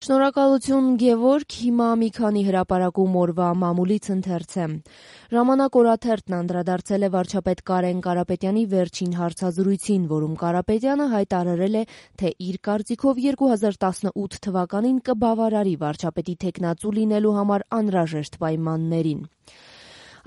Շնորհակալություն Գևորգ, հիմա մի քանի հրապարակում օրվա մամուլից ընթերց է։ Ժամանակ օրաթերթն անդրադարձել է վարչապետ Կարեն Կարապետյանի վերջին հարցազրույցին, որում Կարապետյանը հայտարարել է, թե իր կարծիքով 2018 թվականին կբավարարի վարչապետի թեկնածու լինելու համար անհրաժեշտ պայմաններին։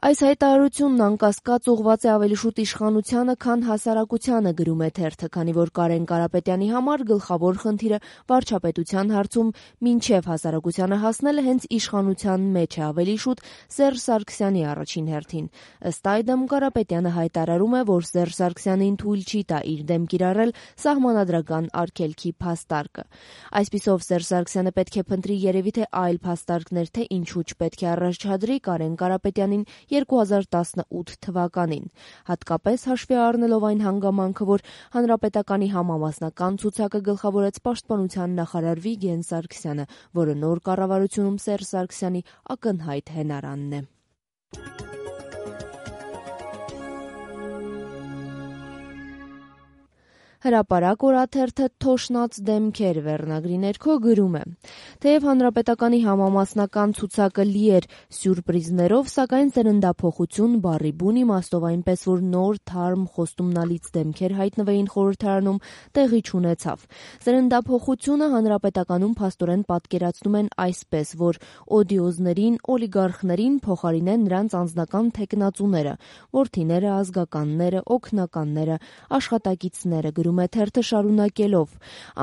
Այս հայտարարությունն անկասկած ուղղված է ավելի շուտ իշխանությանը, քան հասարակությանը, գրում է թերթը, քանի որ Կարեն Կարապետյանի համար գլխավոր խնդիրը վարչապետության հարցում մինչև հասարակությանը հասնելը հենց իշխանության մեջ է, ավելի շուտ Սերժ Սարգսյանի առաջին հերթին։ Ըստ այդմ Կարապետյանը հայտարարում է, որ Սերժ Սարգսյանին թույլ չի տա իր դեմ կիրառել սահմանադրական արգելքի փաստարկը։ Այսպիսով Սերժ Սարգսյանը պետք է փնտրի երևի թե այլ փաստարկներ, թե ինչու չպետք է առաջադրի Կարեն Կարապետյանին 2018 թվականին, հատկապես հաշվի առնելով այն հանգամանքը, որ Հանրապետականի համամասնական ցուցակը գլխավորեց Պաշտպանության նախարար Վիգեն Սարգսյանը, որը նոր կառավարությունում Սերժ Սարգսյանի ակնհայտ հենարանն է։ Հրապարակ օրաթերթը «Թոշնած դեմքեր» վերնագրի ներքո գրում է. թեև Հանրապետականի համամասնական ցուցակը լի էր սյուրպրիզներով, սակայն սերնդափոխություն բառի բուն իմաստով, այնպես որ նոր, թարմ, խոստումնալից դեմքեր հայտնվեին խորհրդարանում, տեղի չունեցավ։ Սերնդափոխությունը Հանրապետականում փաստորեն պատկերացնում են այսպես, որ օդիոզներին, օլիգարխներին փոխարինեն նրանց անձնական թեկնածուները, որդիները, ազգականները, օգնականները, աշխատակիցները, գրում է թերթը շարունակելով.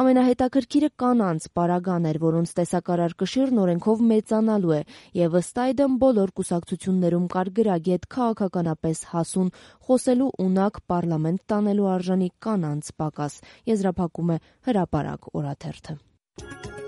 ամենահետաքրքիրը կանանց պարագան էր, որոնց տեսակարար կշիռն օրենքով մեծանալու է, եւ ըստ այդմ բոլոր կուսակցություններում կար գրագետ, քաղաքականապես հասուն, խոսելու ունակ, պառլամենտ տանելու արժանի կանանց պակաս, եզրափակում է Հրապարակ օրաթերթը։